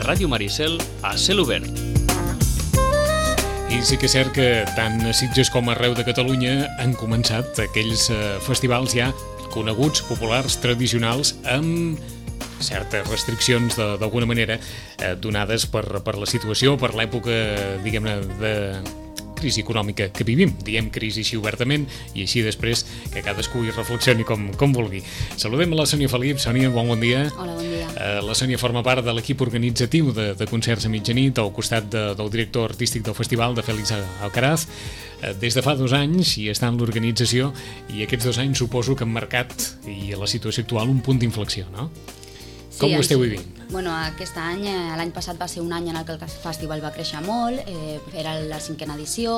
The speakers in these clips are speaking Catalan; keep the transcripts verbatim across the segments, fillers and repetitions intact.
Ràdio Maricel a cel obert. I sí que és cert que tant a Sitges com arreu de Catalunya han començat aquells eh, festivals ja coneguts, populars, tradicionals, amb certes restriccions d'alguna manera eh, donades per, per la situació, per l'època, diguem-ne, de crisi econòmica que vivim. Diem crisi així obertament i així després que cadascú hi reflexioni com, com vulgui. Saludem a la Sònia Felip. Sònia, bon, bon dia. Hola, bon dia. Eh, la Sònia forma part de l'equip organitzatiu de, de concerts a mitjanit al costat de, del director artístic del festival, de Félix Alcaraz. Eh, des de fa dos anys i està en l'organització, i aquests dos anys suposo que han marcat, i a la situació actual, un punt d'inflexió, no? Sí, com ho esteu així, vivint? Bueno, aquest any, l'any passat va ser un any en el que el festival va créixer molt, eh, era la cinquena edició,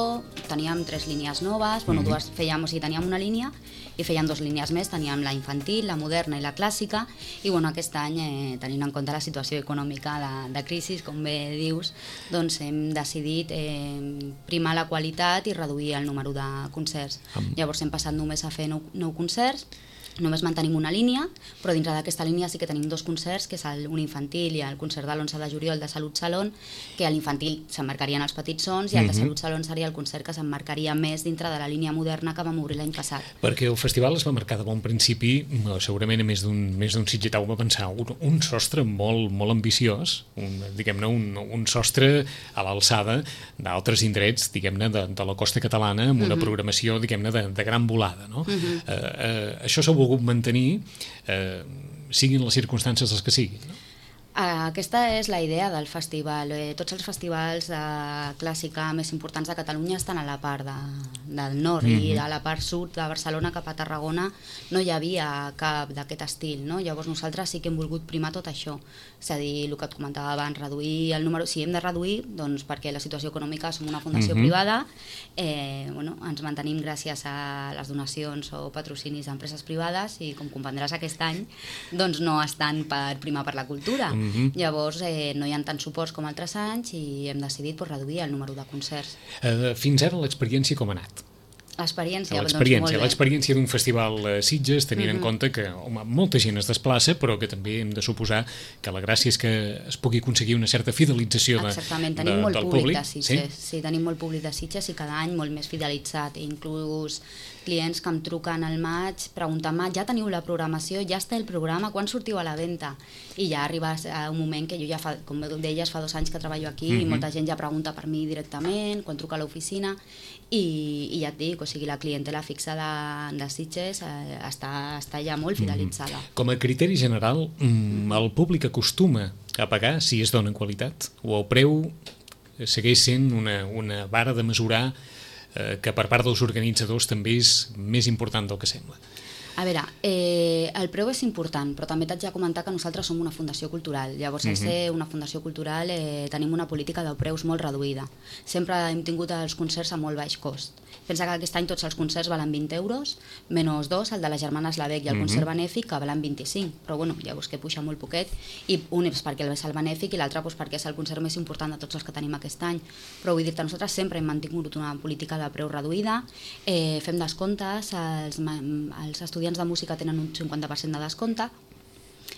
teníem tres línies noves, bueno, Mhm. dues fèiem, o sigui, teníem una línia i fèiem dues línies més, teníem la infantil, la moderna i la clàssica, i bueno, aquest any, eh, tenint en compte la situació econòmica de, de crisi, com bé dius, doncs hem decidit eh, primar la qualitat i reduir el número de concerts. Am. Llavors hem passat només a fer nou, nou concerts, només mantenim una línia, però dintre d'aquesta línia sí que tenim dos concerts, que és el, un infantil i el concert de l'onze de juliol de Salut Salón, que a l'infantil s'emmarcarien els petits sons i el de Mhm. Salut Salón seria el concert que s'emmarcaria més dintre de la línia moderna que vam obrir l'any passat. Perquè el festival es va marcar de bon principi, segurament a més d'un més d'un sitgetau va pensar un, un sostre molt, molt ambiciós, un, diguem-ne, un, un sostre a l'alçada d'altres indrets, diguem-ne, de, de la costa catalana, amb una Mhm. programació, diguem-ne, de, de gran volada, no? Mhm. eh, eh, això s'ha volgut mantenir, eh, siguin les circumstàncies les que siguin, no? Aquesta és la idea del festival. Eh, tots els festivals de clàssica més importants de Catalunya estan a la part de, del nord, Mhm. i a la part sud de Barcelona cap a Tarragona no hi havia cap d'aquest estil, no? Llavors nosaltres sí que hem volgut primar tot això, és a dir, el que et comentava abans, reduir el número, si hem de reduir, doncs perquè la situació econòmica, som una fundació Mhm. privada, eh, bueno, ens mantenim gràcies a les donacions o patrocinis d'empreses privades, i com comprendràs aquest any doncs no estan per primar per la cultura. Mhm. Llavors eh, no hi ha tants suports com altres anys i hem decidit pues, reduir el número de concerts. Eh, fins ara l'experiència com ha anat? L'experiència, doncs, L'experiència, molt bé. l'experiència d'un festival a Sitges, tenint Mhm. en compte que home, molta gent es desplaça, però que també hem de suposar que la gràcia és que es pugui aconseguir una certa fidelització de, Exactament, de, tenim molt del públic, públic. de Sitges, sí? sí, tenim molt públic de Sitges i cada any molt més fidelitzat, inclús clients que em truquen al maig preguntant-me, ja teniu la programació, ja està el programa, quan sortiu a la venda? I ja arriba a un moment que jo ja, fa, com deies, fa dos anys que treballo aquí, Mhm. i molta gent ja pregunta per mi directament, quan truca a l'oficina, i, i ja et dic, o sigui, la clientela fixa de, de Sitges eh, està, està ja molt fidelitzada. Com a criteri general, mm, el públic acostuma a pagar si es dona qualitat? O el preu segueix sent una, una vara de mesurar eh, que per part dels organitzadors també és més important del que sembla? A veure, eh, el preu és important, però també t'haig de comentar que nosaltres som una fundació cultural. Llavors, al Mhm. ser una fundació cultural, eh, tenim una política de preus molt reduïda. Sempre hem tingut els concerts a molt baix cost. Pensa que aquest any tots els concerts valen vint euros, menys dos, el de les germanes Lavec i el Mhm. concert benèfic, que valen vint-i-cinc. Però bueno, llavors que puja molt poquet, i un és perquè és el benèfic i l'altre pues, perquè és el concert més important de tots els que tenim aquest any. Però vull dir-te, nosaltres sempre hem mantingut una política de preu reduïda, eh, fem descomptes, els, ma- els estudiants de música tenen un cinquanta per cent de descompte,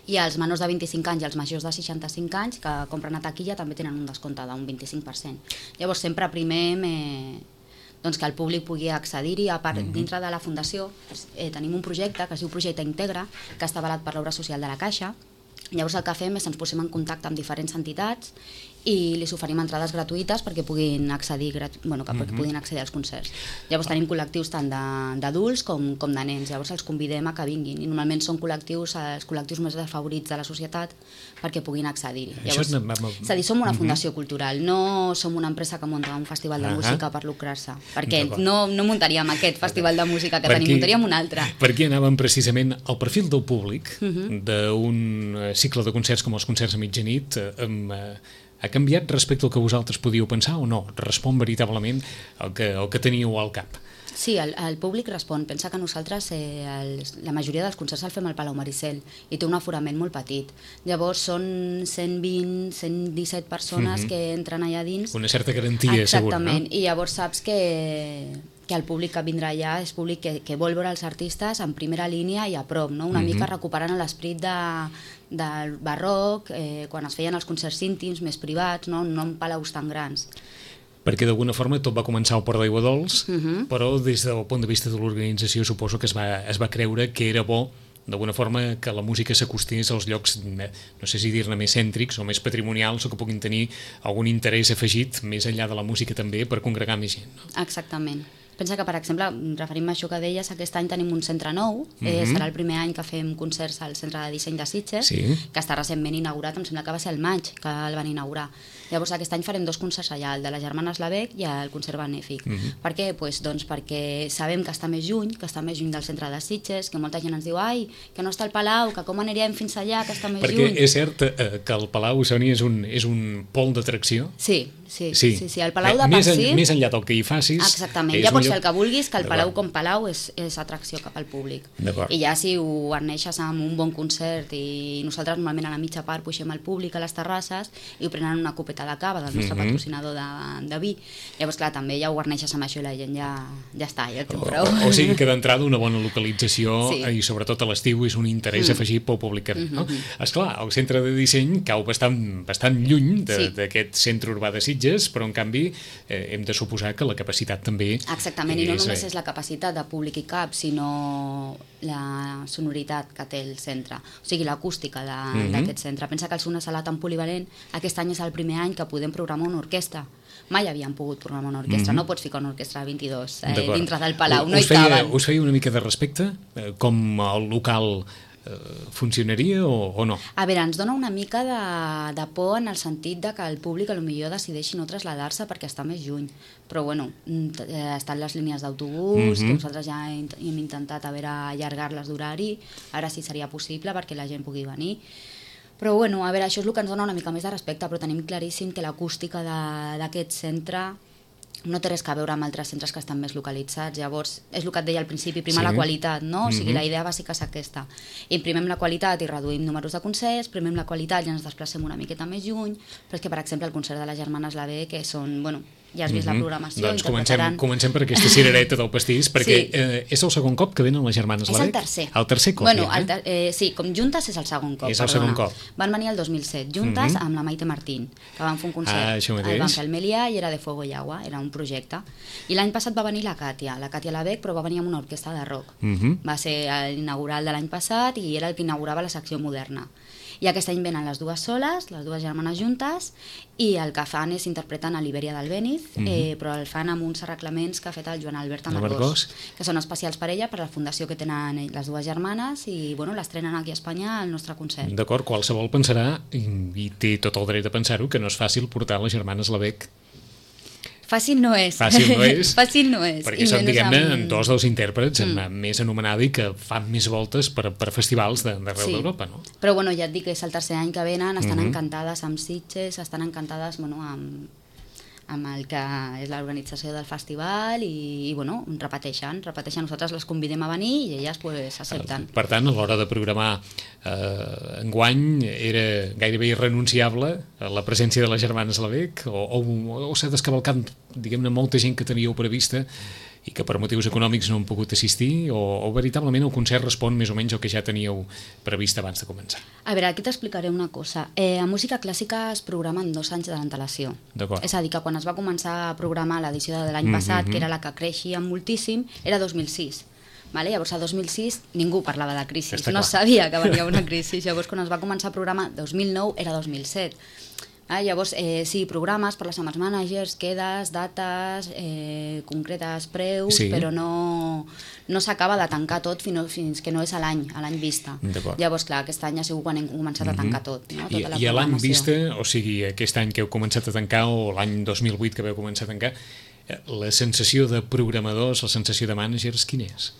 i els menors de vint-i-cinc anys i els majors de seixanta-cinc anys que compren a taquilla també tenen un descompte d'un vint-i-cinc per cent. Llavors sempre primem eh, doncs que el públic pugui accedir-hi. A part, Mhm. dintre de la fundació eh, tenim un projecte que es diu Projecte Integra, que està avalat per l'Obra Social de la Caixa. Llavors el que fem és ens posem en contacte amb diferents entitats i li oferim entrades gratuïtes perquè puguin accedir, gratu... bueno, que perquè Mhm. puguin accedir als concerts. Llavors tenim col·lectius tant de- d'adults com, com de nens, llavors els convidem a que vinguin, i normalment són col·lectius, els col·lectius més desfavorits de la societat, perquè puguin accedir-hi. Això Llavors, no- va- és a dir, som una Mhm. fundació cultural, no som una empresa que munta un festival de Ahà. música per lucrar-se, perquè D'acord. no, no muntaríem aquest festival de música que Per tenim, aquí- muntaríem un altre. Per aquí anàvem precisament al perfil del públic Mhm. d'un eh, cicle de concerts com els concerts a mitjanit. Eh, amb, eh, ha canviat respecte al que vosaltres podíeu pensar o no? Respon veritablement el que, el que teníeu al cap? Sí, el, el públic respon. Pensa que nosaltres eh, els, la majoria dels concerts el fem al Palau Maricel i té un aforament molt petit. Llavors són cent vint, cent disset persones Mhm. que entren allà dins. Una certa garantia, segur, no? Exactament, i llavors saps que que el públic que vindrà allà és públic que, que vol veure els artistes en primera línia i a prop, no? Una mm-hmm. mica recuperant l'esperit de, del barroc, eh, quan es feien els concerts íntims més privats, no, no en palaus tan grans. Perquè d'alguna forma tot va començar al Port d'Aigua Dols, Uh-huh. però des del punt de vista de l'organització suposo que es va, es va creure que era bo d'alguna forma que la música s'acostés als llocs, no sé si dir-ne més cèntrics o més patrimonials, o que puguin tenir algun interès afegit més enllà de la música també per congregar més gent. No? Exactament. Pensa que, per exemple, referim a això que deies, aquest any tenim un centre nou, eh, Mhm. serà el primer any que fem concerts al Centre de Disseny de Sitges, Sí. que està recentment inaugurat, em sembla que va ser el maig que el van inaugurar. Llavors aquest any farem dos concerts allà, el de les germanes Lavec i el concert benèfic. Mhm. Per què? Pues, doncs perquè sabem que està més lluny, que està més lluny del centre de Sitges, que molta gent ens diu, ai, que no està al Palau, que com anirem fins allà, que està més Perquè lluny. és cert eh, que el Palau, Sònia, és un, és un pol d'atracció. Sí, sí, sí, sí, sí. El Palau Eh, de per més, en, si... més enllà del que hi facis... Exactament, és ja un pots lloc- fer el que vulguis, que el Palau D'acord. com Palau és, és atracció cap al públic. D'acord. I ja si ho guarneixes amb un bon concert i nosaltres normalment a la mitja part puixem al públic a les terrasses i ho prenen una copeta de cava del nostre Mhm. patrocinador de, de vi. Llavors, clar, també ja ho guarneixes amb això i la gent ja, ja està, ja té O, prou. o, o sigui que d'entrada una bona localització Sí. eh, i sobretot a l'estiu és un interès Mm. afegit pel públic que ve, no? Mhm. Esclar, el centre de disseny cau bastant, bastant lluny de- Sí. d'aquest centre urbà de Sitges, però en canvi eh, hem de suposar que la capacitat també Exactament, i no és, només eh, és la capacitat de públic i cap, sinó la sonoritat que té el centre, o sigui, l'acústica de- Mhm. d'aquest centre. Pensa que al ser una sala tan polivalent, aquest any és el primer any que podem programar una orquestra. Mai havíem pogut programar una orquestra, Mhm. no pots ficar una orquestra de vint-i-dos eh, D'acord. dintre del Palau, no us hi feia, caben. us feia una mica de respecte? Eh, com el local eh, funcionaria o, o no? A veure, ens dona una mica de, de por en el sentit de que el públic potser decideixi no traslladar-se perquè està més lluny. Però bueno, mm, t- eh, estan les línies d'autobús, Mhm. que nosaltres ja hem, hem intentat a veure allargar-les d'horari, ara sí seria possible perquè la gent pugui venir. Però bueno, a veure, això és el que ens dona una mica més de respecte, però tenim claríssim que l'acústica de- d'aquest centre no té res a veure amb altres centres que estan més localitzats. Llavors, és el que et deia al principi, primar Sí. la qualitat, no? O sigui, Mhm. la idea bàsica és aquesta. Imprimem la qualitat i reduïm números de concerts, primem la qualitat i ens desplacem una miqueta més lluny, però és que, per exemple, el concert de les germanes Lavec, que són, bueno, ja has vist Mhm. la programació, Doncs comencem, interpretaran... comencem per aquesta cirereta del pastís, perquè Sí. eh, és el segon cop que venen les germanes És Lavec? el tercer. El tercer cop, bueno, ja, eh? el ter eh, sí, com juntes és el segon cop. És el perdona. segon cop. Van venir el dos mil set, juntes, Mhm. amb la Maite Martín, que van fer un concert. Ah, això mateix. El van fer al Melià i era de Fuego y Agua, era un projecte. I l'any passat va venir la Càtia, la Càtia Lavec, però va venir amb una orquestra de rock. Mhm. Va ser l'inaugural de l'any passat i era el que inaugurava la secció moderna. I aquest any venen les dues soles, les dues germanes juntes, i el que fan és interpreten a l'Ibèria del Béniz, Mhm. eh, però el fan amb uns arreglaments que ha fet el Joan Albert Amargós. Amargós, que són especials per ella, per la fundació que tenen ell- les dues germanes, i bueno, l'estrenen aquí a Espanya al nostre concert. D'acord, qualsevol pensarà, i, i té tot el dret a pensar-ho, que no és fàcil portar les germanes Lavec, Fàcil no és. Fàcil no és. Fàcil no és. perquè I són, menys diguem-ne, amb- dos dels intèrprets Mm. mm. més anomenada i que fan més voltes per, per festivals de- d'arreu Sí. d'Europa, no? Però bueno, ja et dic que és el tercer any que venen, estan Mhm. encantades amb Sitges, estan encantades bueno, amb, amb el que és l'organització del festival i, i bueno, repeteixen, repeteixen, nosaltres les convidem a venir i elles pues, accepten. Per tant, a l'hora de programar eh, enguany era gairebé irrenunciable la presència de les germanes Lavec o, o, o s'ha descavalcat, diguem-ne, molta gent que teníeu prevista i que per motius econòmics no han pogut assistir o, o veritablement el concert respon més o menys al que ja teníeu previst abans de començar? A veure, aquí t'explicaré una cosa. Eh, a música clàssica es programa en dos anys d'antelació. D'acord. És a dir, que quan es va començar a programar l'edició de l'any Mhm. passat, que era la que creixia moltíssim, era dos mil sis. Vale? Llavors, a dos mil sis ningú parlava de crisi, Està no clar. sabia que venia una crisi. Llavors, quan es va començar a programar, dos mil nou era dos mil set. Ah, llavors, eh, sí, programes per les summer managers, quedes, dates, eh, concretes, preus, Sí. però no, no s'acaba de tancar tot fins, fins que no és a l'any, a l'any vista. D'acord. Llavors, clar, aquest any ha sigut quan hem començat a tancar tot. No? I, Tota la I a l'any programació. vista, o sigui, aquest any que heu començat a tancar o l'any dos mil vuit que veu començar a tancar, eh, la sensació de programadors, la sensació de managers, quina és?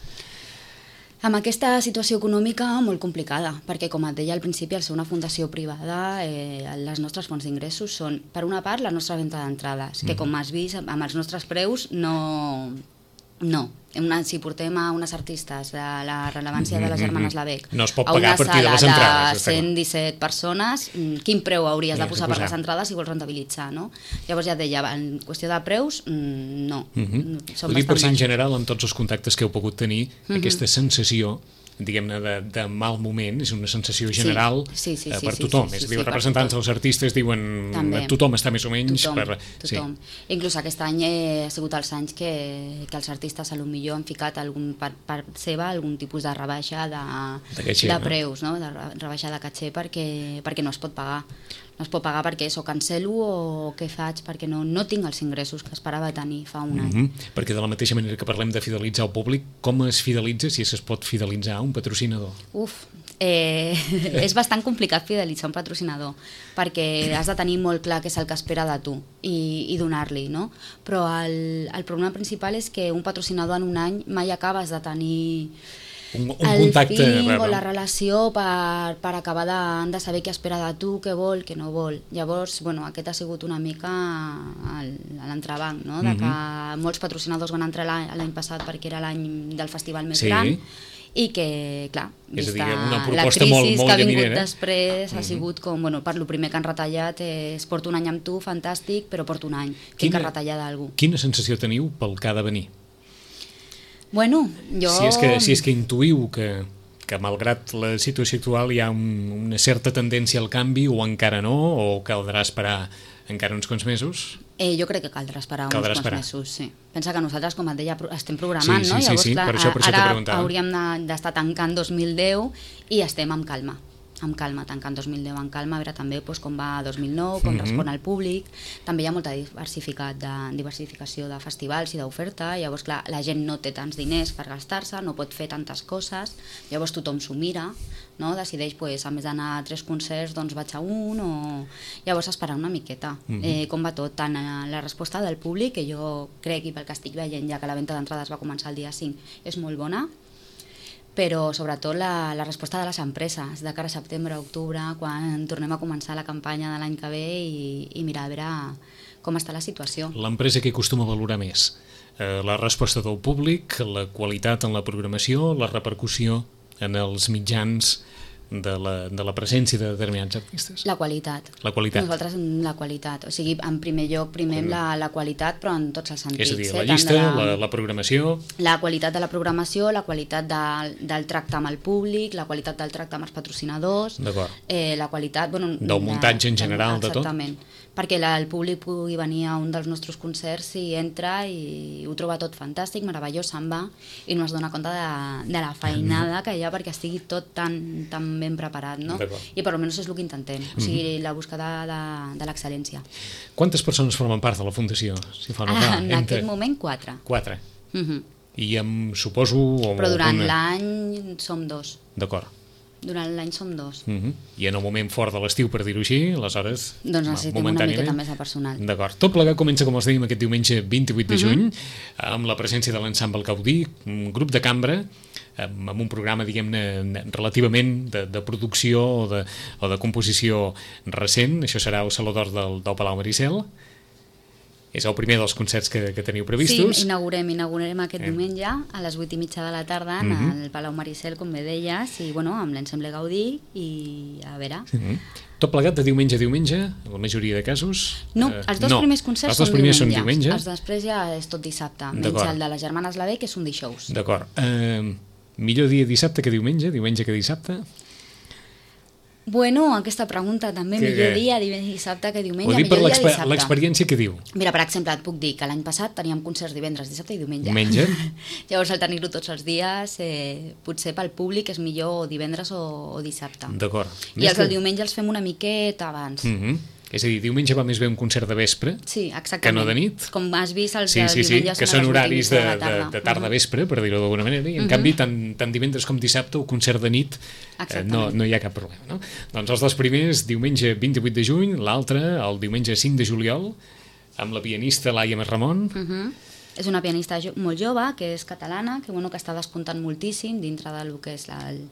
Amb aquesta situació econòmica molt complicada, perquè com et deia al principi, al ser una fundació privada, eh, les nostres fonts d'ingressos són, per una part, la nostra venda d'entrades, que com has vist, amb els nostres preus no, No. Una, si portem a unes artistes de la rellevància de les germanes Lavec no es pot a pagar una a partir de les sala entrades, de cent disset persones, quin preu hauries de posar per les entrades si vols rentabilitzar, no? Llavors ja et deia, en qüestió de preus, no. Uh -huh. Ho dic per si en general, amb tots els contactes que heu pogut tenir, uh -huh. aquesta sensació diguem-ne, de, de mal moment, és una sensació general sí, sí, sí, eh, per sí, tothom. Sí, sí, és a sí, dir, els sí, representants dels artistes diuen també. Tothom està més o menys... Tothom, per... tothom. Sí. Inclús aquest any eh, ha sigut els anys que, que els artistes a lo millor han ficat algun, per part seva algun tipus de rebaixa de, de, caché, de preus, no? De rebaixa de caché perquè, perquè no es pot pagar. No es pot pagar perquè és o cancelo o què faig perquè no, no tinc els ingressos que esperava tenir fa un any. Mm-hmm. Perquè de la mateixa manera que parlem de fidelitzar el públic, com es fidelitza, si es pot fidelitzar un patrocinador? Uf, eh, és bastant complicat fidelitzar un patrocinador perquè has de tenir molt clar què és el que espera de tu i, i donar-li, no? Però el, el problema principal és que un patrocinador en un any mai acabes de tenir... Un, un el contacte, feeling o la relació per, per acabar de, de saber què espera de tu, què vol, què no vol. Llavors, bueno, aquest ha sigut una mica l'entrebanc, no? De que mm-hmm. molts patrocinadors van entrar l'any passat perquè era l'any del festival més sí. gran i que, clar, vista dir, una la crisi molt, molt que ha vingut llaminera. després ha sigut com, bueno, per lo primer que han retallat és porto un any amb tu, fantàstic, però porto un any, tinc que retallar d'algú. Quina sensació teniu pel que ha de venir? Bueno, jo... Si és que, si és que intuïu que, que malgrat la situació actual hi ha un, una certa tendència al canvi o encara no, o caldrà esperar encara uns quants mesos? Eh, jo crec que caldrà esperar caldrà uns esperar. quants mesos, sí. Pensa que nosaltres, com et deia, estem programant, sí, sí, no? Sí, Llavors, sí, sí, clar, per això, per això ara hauríem d'estar tancant dos mil deu i estem amb calma. amb calma, tancant dos mil deu amb calma, a veure també doncs, com va dos mil nou, com mm -hmm. respon al públic. També hi ha molta diversificat de, diversificació de festivals i d'oferta, llavors clar, la gent no té tants diners per gastar-se, no pot fer tantes coses, llavors tothom s'ho mira, no? Decideix, pues, a més d'anar a tres concerts, doncs vaig a un, o llavors esperar una miqueta. Mm -hmm. eh, com va tot, tant la resposta del públic, que jo crec, i pel que estic veient, ja que la venda d'entrades va començar el dia cinc, és molt bona, però sobretot la, la resposta de les empreses de cara a setembre, octubre, quan tornem a començar la campanya de l'any que ve i, i mirar a veure com està la situació. L'empresa que acostuma a valorar més? Eh, la resposta del públic, la qualitat en la programació, la repercussió en els mitjans de la, de la presència de determinats artistes? La qualitat. La qualitat. Nosaltres la qualitat. O sigui, en primer lloc primem mm. la, la qualitat, però en tots els sentits. És a dir, eh? la llista, la, la, la programació... La qualitat de la programació, la qualitat de, del tracte amb el públic, la qualitat del tracte amb els patrocinadors, eh, la qualitat... Bueno, del muntatge en general, de tot. Exactament. Perquè la, el públic pugui venir a un dels nostres concerts i entra i ho troba tot fantàstic, meravellós, se'n va i no es dona compte de, de la feinada que hi ha perquè estigui tot tan, tan ben preparat, no? I per almenys és el que intentem, o sigui, mm-hmm. la buscada de, de l'excel·lència. Quantes persones formen part de la Fundació? Si fa ah, en entre... aquest moment, quatre. Quatre. Mm-hmm. I em suposo... O Però durant alguna... l'any som dos. D'acord. Durant l'any som dos. Uh-huh. I en el moment fort de l'estiu, per dir-ho així, aleshores... Doncs necessitem una miqueta més de personal. D'acord. Tot plegat comença, com els dèiem, aquest diumenge vint-i-vuit de juny, uh-huh. amb la presència de l'ensemble Gaudí, un grup de cambra, amb un programa, diguem-ne, relativament de, de producció o de, o de composició recent. Això serà el Saló d'Or del, del Palau Maricel. És el primer dels concerts que, que teniu previstos. Sí, inaugurem, inaugurem aquest eh. diumenge a les vuit i mitja de la tarda en mm-hmm. el Palau Maricel, com bé deies, i bueno, amb l'ensemble Gaudí, i a veure... Mm-hmm. Tot plegat de diumenge a diumenge, en la majoria de casos? No, els dos eh, no. primers concerts els dos són, primers diumenge. són diumenge. Els després ja és tot dissabte, menys el de les Germanes Lavec, que és un dijous. D'acord. Eh, millor dia dissabte que diumenge, diumenge que dissabte? Bueno, aquesta pregunta també, que, millor dia dissabte que diumenge, ho dic millor per dia dissabte. l'experiència que diu. Mira, per exemple, et puc dir que l'any passat teníem concerts divendres, dissabte i diumenge. Diumenge. Llavors, al tenir-ho tots els dies, eh, potser pel públic és millor divendres o, o dissabte. D'acord. I els del diumenge els fem una miqueta abans. Mhm. És a dir, diumenge va més bé un concert de vespre sí, exactament. que no de nit. Com has vist, els sí, sí, sí, diumenges que són horaris de, de, tarda. de tarda-vespre, per dir-ho d'alguna manera, i en uh-huh. canvi, tant, tant divendres com dissabte, el concert de nit eh, no, no hi ha cap problema. No? Doncs els dos primers, diumenge vint-i-vuit de juny, l'altre, el diumenge cinc de juliol, amb la pianista Laia Masramon. Uh-huh. És una pianista jo, molt jove, que és catalana, que, bueno, que està despuntant moltíssim dintre del que és la, el,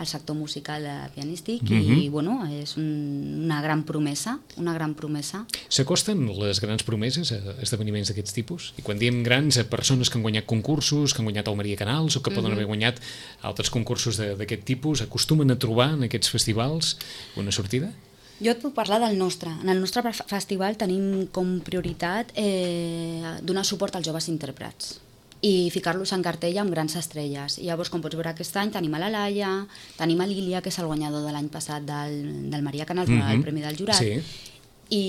al sector musical pianístic mm-hmm. i bueno, és un, una gran promesa, una gran promesa. S'acosten les grans promeses a esdeveniments d'aquests tipus? I quan diem grans, a persones que han guanyat concursos, que han guanyat el Maria Canals o que poden mm-hmm. haver guanyat altres concursos d'aquest tipus, acostumen a trobar en aquests festivals una sortida? Jo et puc parlar del nostre. En el nostre festival tenim com prioritat eh, donar suport als joves intèrprets i ficar-los en cartella amb grans estrelles. I llavors, com pots veure aquest any, tenim a la Laia, tenim a l'Ilia, que és el guanyador de l'any passat del, del Maria Canals, mm-hmm. el Premi del Jurat, sí. i,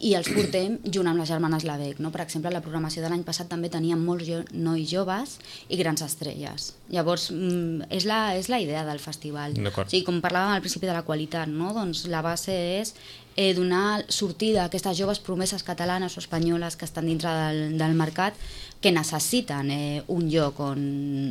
i els portem junt amb les germanes Lavec. No? Per exemple, la programació de l'any passat també teníem molts jo, nois joves i grans estrelles. Llavors, és la, és la idea del festival. O sigui, com parlàvem al principi de la qualitat, no? Doncs la base és eh, donar sortida a aquestes joves promeses catalanes o espanyoles que estan dintre del, del mercat, que necessiten eh, un lloc on,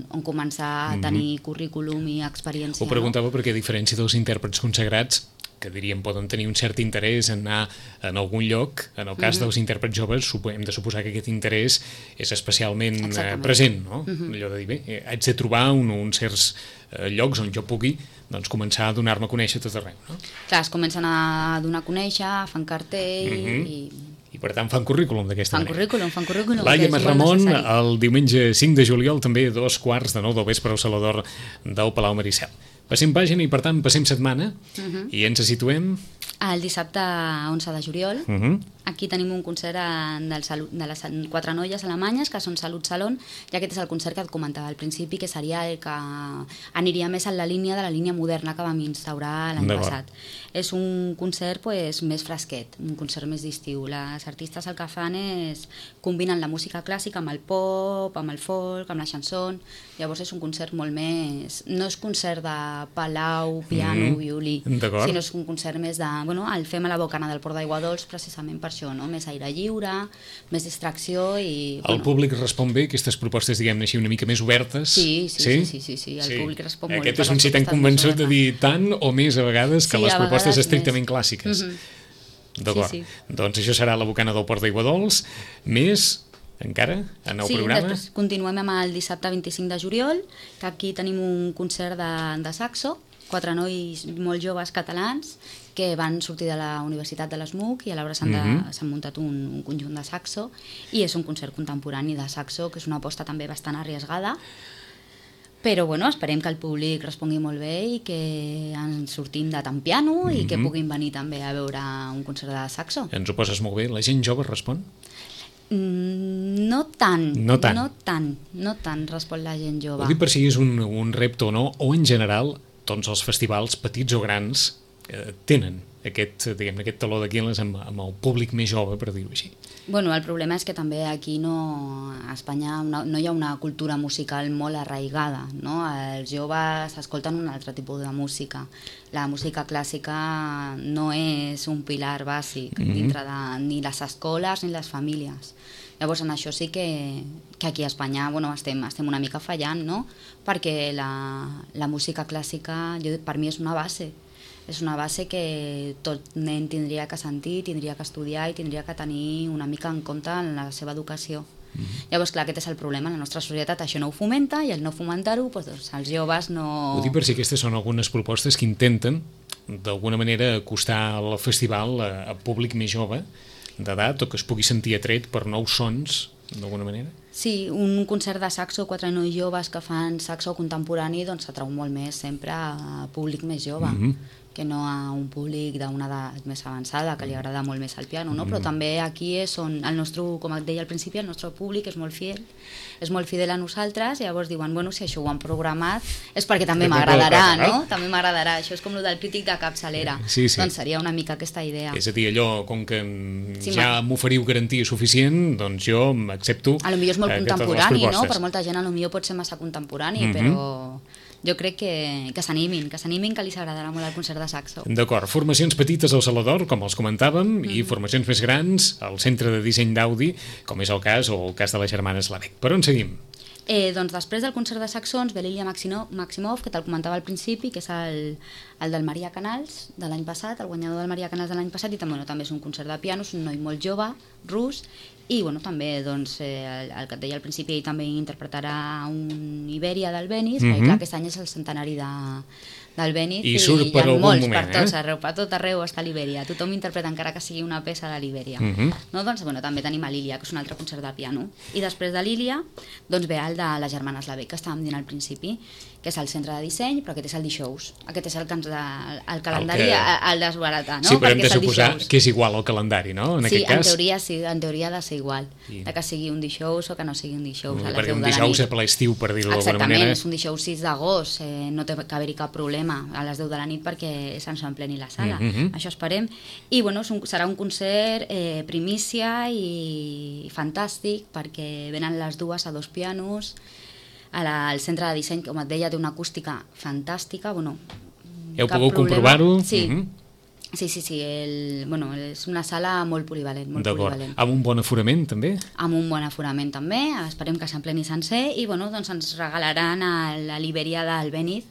on començar a tenir mm-hmm. currículum i experiència. Ho preguntava no? perquè, a diferència dels intèrprets consagrats, que diríem poden tenir un cert interès en anar en algun lloc, en el cas mm-hmm. dels intèrprets joves hem de suposar que aquest interès és especialment Exactament. present, no? Mm-hmm. Allò de dir, bé, haig de trobar un, uns certs eh, llocs on jo pugui doncs, començar a donar-me a conèixer tot arreu, no? Clar, es comencen a donar a conèixer, fan cartell mm-hmm. i... I per tant fan currículum d'aquesta manera. Fan currículum, fan currículum. Laia Masramon, el diumenge cinc de juliol, també dos quarts de nou del vespre al Saló d'Or del Palau Maricel. Passem pàgina i per tant passem setmana uh-huh. i ens situem... El dissabte onze de juliol, uh-huh. aquí tenim un concert del salut, de les quatre noies alemanyes, que són Salut Salon, i aquest és el concert que et comentava al principi, que seria el que aniria més en la línia de la línia moderna que vam instaurar l'any passat. És un concert pues, més fresquet, un concert més d'estiu. Les artistes el que fan és combinen la música clàssica amb el pop, amb el folk, amb la chanson. Llavors és un concert molt més... No és concert de palau, piano, mm-hmm. violí, sinó és un concert més de... Bueno, el fem a la Bocana del Port d'Aigua Dols precisament per això, no? Més aire lliure, més distracció i... El bueno. públic respon bé, aquestes propostes, diguem-ne així, una mica més obertes? Sí, sí, sí, sí, sí, sí. el sí. públic respon molt bé. Aquest és un sí tan convençut de dir tant o més a vegades que sí, les propostes estrictament més. clàssiques. Mm-hmm. D'acord. Sí, sí. Doncs això serà la Bocana del Port d'Aigua Dols, més... encara, en el sí, programa? Sí, després continuem amb el dissabte vint-i-cinc de juliol, que aquí tenim un concert de, de saxo, quatre nois molt joves catalans que van sortir de la Universitat de l'ESMUC i alhora s'han mm-hmm. muntat un, un conjunt de saxo i és un concert contemporani de saxo, que és una aposta també bastant arriesgada, però bueno, esperem que el públic respongui molt bé i que ens sortim de tant piano mm-hmm. i que puguin venir també a veure un concert de saxo. Ens ho poses molt bé. La gent jove respon? No tant, no tant, no tant, no tant respon la gent jove. Ho dic per si és un, un repte o no, o en general tots els festivals, petits o grans, eh, tenen aquest, diguem, aquest taló d'Aquil·les amb, amb el públic més jove, per dir-ho així. Bueno, el problema és que també aquí no, a Espanya no, no hi ha una cultura musical molt arraigada, no? Els joves escolten un altre tipus de música. La música clàssica no és un pilar bàsic mm-hmm. dintre de ni les escoles ni les famílies. Llavors, en això sí que, que aquí a Espanya bueno, estem, estem una mica fallant, no? Perquè la, la música clàssica jo, per mi és una base. És una base que tot nen tindria que sentir, tindria que estudiar i tindria que tenir una mica en compte en la seva educació. Mm-hmm. Llavors, clar, aquest és el problema. En la nostra societat això no ho fomenta i el no fomentar-ho, doncs, els joves no... Ho dic per si aquestes són algunes propostes que intenten, d'alguna manera, acostar el festival a, a públic més jove, d'edat, o que es pugui sentir atret per nous sons, d'alguna manera? Sí, un concert de saxo, quatre nois joves que fan saxo contemporani, doncs s'atrau molt més sempre a públic més jove. Mm-hmm. que no a un públic d'una edat més avançada, que li agrada molt més el piano, no? Però també aquí és on el nostre, com et deia al principi, el nostre públic és molt fiel, és molt fidel a nosaltres, i llavors diuen, bueno, si això ho han programat és perquè també m'agradarà, no? També m'agradarà, això és com el del crític de capçalera, sí, sí. Doncs seria una mica aquesta idea. És a dir, allò, com que sí, ja m'oferiu garantia suficient, doncs jo accepto... A lo millor és molt contemporani, no? Per molta gent a lo millor pot ser massa contemporani, mm-hmm. però... Jo crec que, que s'animin, que s'animin, que li s'agradarà molt el concert de saxo. D'acord, formacions petites al Saló d'Or, com els comentàvem, mm. i formacions més grans al Centre de Disseny d'Audi, com és el cas, o el cas de les germanes Lavec. Per on seguim? Eh, doncs després del concert de saxons ve l'Ilia Maximov, que te'l comentava al principi, que és el, el del Maria Canals de l'any passat, el guanyador del Maria Canals de l'any passat, i també, bueno, també és un concert de piano, és un noi molt jove, rus, i bueno, també doncs, eh, el, el que et deia al principi, ell també interpretarà un I l'Ibèria del Benís, Mhm. perquè clar, aquest any és el centenari de, del Benís I surt hi per ha algun molts moment, per tots eh? arreu, per tot arreu està l'Ibèria, tothom interpreta encara que sigui una peça de l'Ibèria. Mhm. No, doncs, bueno, també tenim a l'Ília, que és un altre concert de piano. I després de l'Ília, doncs ve el de les germanes Lavec, que estàvem dient al principi, que és el centre de disseny, però aquest és el dijous. Aquest és el, que ens de, el calendari, el, que... el desbaratar, no? Sí, però hem Perquè de és el suposar dijous. que és igual al calendari, no? En Sí, aquest en cas. teoria sí, en teoria ha de ser igual, I- de que sigui un dijous o que no sigui un dijous a les Perquè deu un de la dijous nit. a ple estiu, per dir-ho d'alguna Exactament, manera. és un dijous sis d'agost, eh, no té que haver-hi cap problema a les deu de la nit perquè se'ns empleni la sala, Mhm. això esperem. I bueno, és un, serà un concert eh, primícia i fantàstic perquè venen les dues a dos pianos, a la, al centre de disseny, com et deia, té una acústica fantàstica, bueno, Heu cap pogut problema. comprovar-ho? Sí, Mhm. sí, sí, sí el, bueno, és una sala molt polivalent, molt D'acord. polivalent. Amb un bon aforament, també? Amb un bon aforament també, esperem que s'empleni sencer i bueno, doncs ens regalaran el- a l'Ibèria del Benís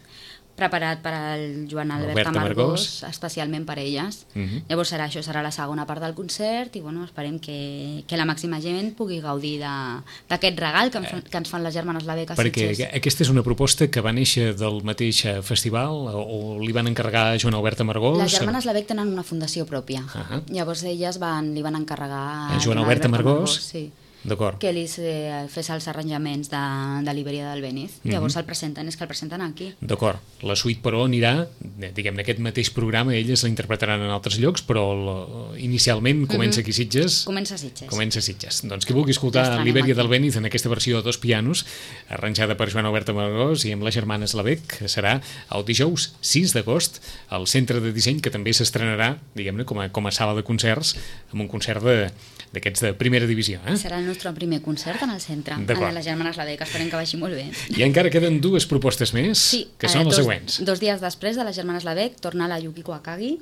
preparat per al Joan Albert Albert Amargós, Amargós. especialment per elles. Mhm. Llavors serà això, serà la segona part del concert i bueno, esperem que, que la màxima gent pugui gaudir de- d'aquest regal que, ens fan- que ens fan les germanes Lavec a Perquè Sitges. aquesta és una proposta que va néixer del mateix eh, festival o, o li van encarregar a Joan Albert Amargós? Les germanes Lavec tenen una fundació pròpia. Ahà. Llavors elles van, li van encarregar A Joan Albert Amargós? sí. D'acord. que li eh, fes els arranjaments de, de l'Ibèria del Benís. Mhm. Llavors el presenten, és que el presenten aquí. D'acord. La suite, però, anirà, eh, diguem-ne, aquest mateix programa, elles la interpretaran en altres llocs, però la, inicialment comença aquí a Sitges. Comença a Sitges. Comença a Sitges. Doncs qui vulgui escoltar L'estrenem l'Ibèria aquí. del Benís en aquesta versió a dos pianos, arranjada per Joan Albert Amargós i amb les germanes Lavec, serà el dijous sis d'agost al Centre de Disseny, que també s'estrenarà, diguem-ne, com a, com a sala de concerts, amb un concert de d'aquests de primera divisió. Eh? Serà el nostre primer concert en el centre, D'acord. a les germanes Lavec, esperem que vagi molt bé. I encara queden dues propostes més, Sí, que eh, són les dos, següents. Dos dies després de les germanes Lavec torna la Yukiko Akagi.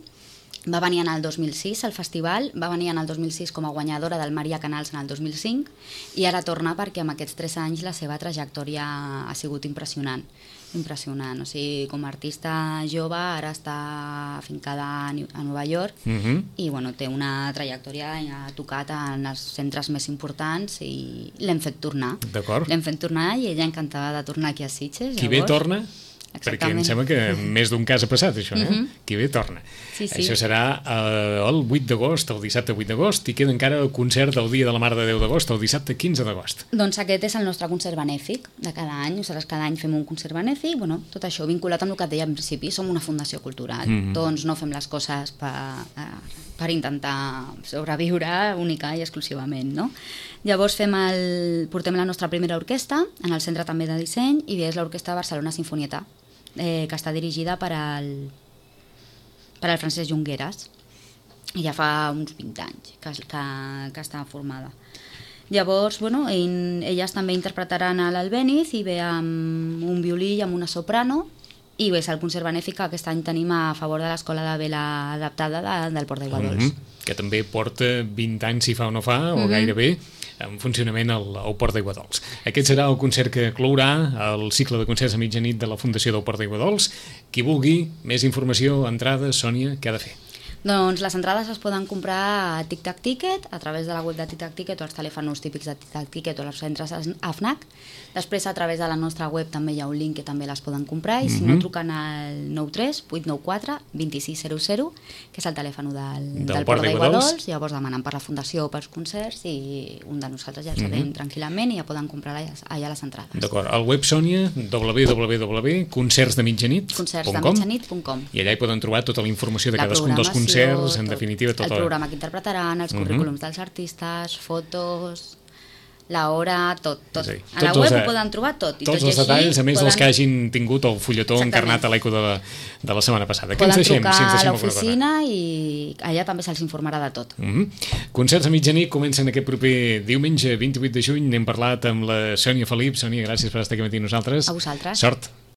Va venir en el dos mil sis al festival, va venir en el dos mil sis com a guanyadora del Maria Canals en el dos mil cinc i ara torna perquè amb aquests tres anys la seva trajectòria ha sigut impressionant. Impressionant, o sigui, com a artista jove ara està afincada a New- a Nova York Mhm. i bueno, té una trajectòria, ha tocat en els centres més importants i l'hem fet tornar. D'acord. L'hem fet tornar i ella encantada de tornar aquí a Sitges. Qui bé llavors- torna, perquè em Exactament. sembla que més d'un cas ha passat això, eh? Mhm. Qui bé torna. Sí, sí. Això serà eh, el vuit d'agost, el dissabte vuit d'agost, i queda encara el concert del Dia de la Mare de Déu d'agost, el dissabte quinze d'agost. Doncs aquest és el nostre concert benèfic de cada any, o sigui, cada any fem un concert benèfic, bueno, tot això vinculat amb el que et deia al principi, som una fundació cultural, Mhm. doncs no fem les coses per, per intentar sobreviure única i exclusivament, no? Llavors fem el, portem la nostra primera orquestra, en el centre també de disseny, i és l'Orquestra Barcelona Sinfonieta, eh, que està dirigida per al, per al Francesc Junqueras, i ja fa uns vint anys que, que, que està formada. Llavors, bueno, ell, elles també interpretaran a l'Albéniz i ve amb un violí i amb una soprano i bé, és el concert benèfic que aquest any tenim a favor de l'Escola de Vela Adaptada de, del Port d'Aiguadols. Mhm. Que també porta vint anys, si fa o no fa, o Mhm. gairebé, en funcionament al, al Port d'Aiguadols. Aquest serà el concert que clourà el cicle de concerts a mitjanit de la Fundació del Port d'Aiguadols. Qui vulgui més informació, entrades, Sònia, què ha de fer? Doncs les entrades es poden comprar a Tic Tac Ticket, a través de la web de Tic Tac Ticket o els telèfons típics de Tic Tac Ticket o els centres A F N A C. Després a través de la nostra web també hi ha un link que també les poden comprar i si no Mhm. truquen al nou tres vuit nou quatre dos sis zero zero, que és el telèfon del, Del del, Port Port d'Aiguadols. d'Aiguadols, llavors demanen per la fundació o pels concerts i un de nosaltres ja els Mhm. atén tranquil·lament i ja poden comprar allà, allà les entrades. D'acord, al web Sònia, w w w punt concerts de mitjanit concerts de punt com, mitjanit punt com. i allà hi poden trobar tota la informació de La cadascun dels programació, concerts, en tot. definitiva, tota El programa que interpretaran, els Mhm. currículums dels artistes, fotos, la hora, tot. tot. És a dir, A la tots els web de- ho poden trobar tot. I tots tot i els així detalls, a més dels poden- que hagin tingut el fulletó Exactament. encarnat a l'eco de, la, de la setmana passada. Què Poden ens deixem? trucar Si ens a deixem alguna cosa? l'oficina i allà també se'ls informarà de tot. Mm -hmm. Concerts a mitjanit comencen aquest proper diumenge vint-i-vuit de juny. N'hem parlat amb la Sònia Felip. Sònia, gràcies per estar aquí amb nosaltres. A vosaltres. Sort.